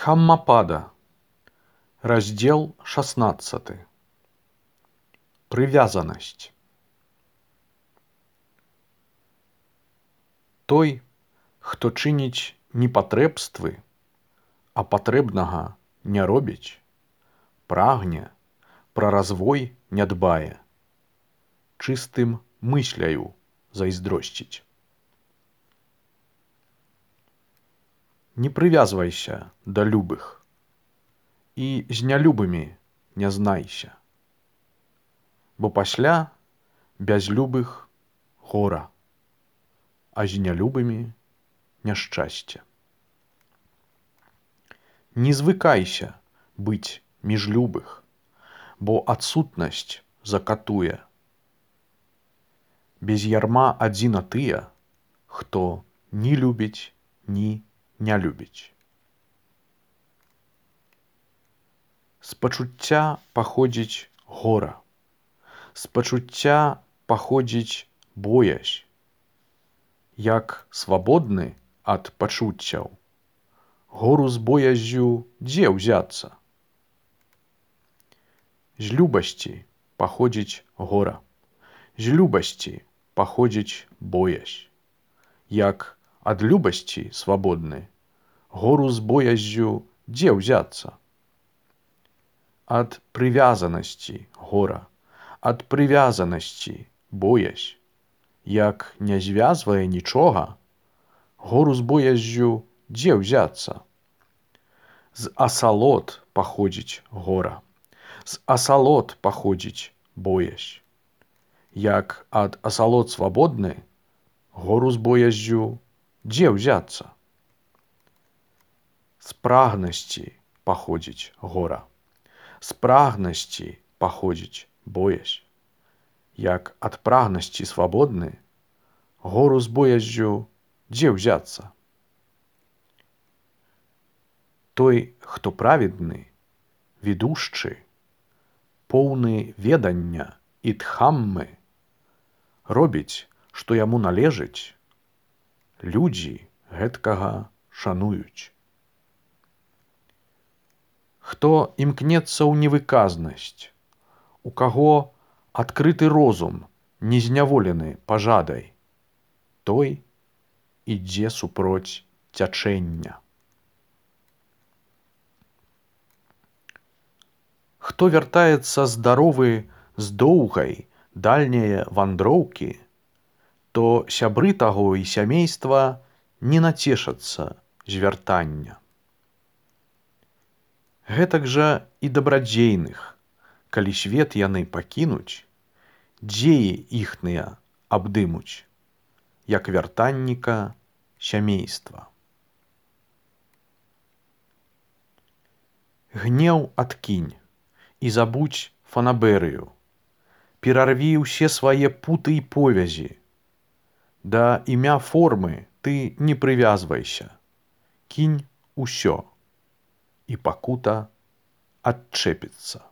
Дхаммапада. Раздел 16. Прывязанасць. Той, хто чыніць непатрэбствы, а патрэбнага не робіць, прагне, пра развой не дбае, чыстым мысляю зайздросціць. Не прывязвайся да любых, і з нялюбымі не знайся, бо пасля без любых гора, а з нялюбымі няшчасце. Не звыкайся быць між любых, бо адсутнасць закатуе. Без ярма адзіна тыя, хто ні любіць, ні не любіць. З пачуцця паходзіць гора, з пачуцця паходзіць боязь. Як свабодны ад пачуццяў, гору з боязю дзе ўзяцца? З любасці паходзіць гора, з любасці паходзіць боязь. Як ад любасці свабодны, гору з боязю дзе ўзяцца? Ад прывязанасці гора, ад прывязанасці боязь. Як не звязвае нічога, гору з боязю дзе ўзяцца? З асалод паходзіць гора, з асалод паходзіць боязь. Як ад асалод свабодны, гору з боязю дзе ўзяцца? З прагнасці паходзіць гора, з прагнасці паходзіць боязь. Як ад прагнасці свабодны, гору з боязю дзе ўзяцца? Той, хто праведны, ведушчы, поўны ведання і дхаммы, робіць, што яму належыць, людзі гэткага шануюць. Хто імкнецца ў невыказнасць, у каго адкрыты розум, не зняволены пажадай, той ідзе супроць цячэння. Хто вяртаецца здаровы з доўгай, дальняе вандроўкі, то сябры таго і сямейства не нацешацца з вяртання. Гэтак жа і дабрадзейных, калі свет яны пакінуць, дзеі іхныя абдымуць, як вяртанніка сямейства. Гнеў адкінь і забудзь фанабэрыю, перарві ўсе свае путы і повязі. Да імя формы ты не прывязвайся, кінь усё, і пакута адчэпіцца.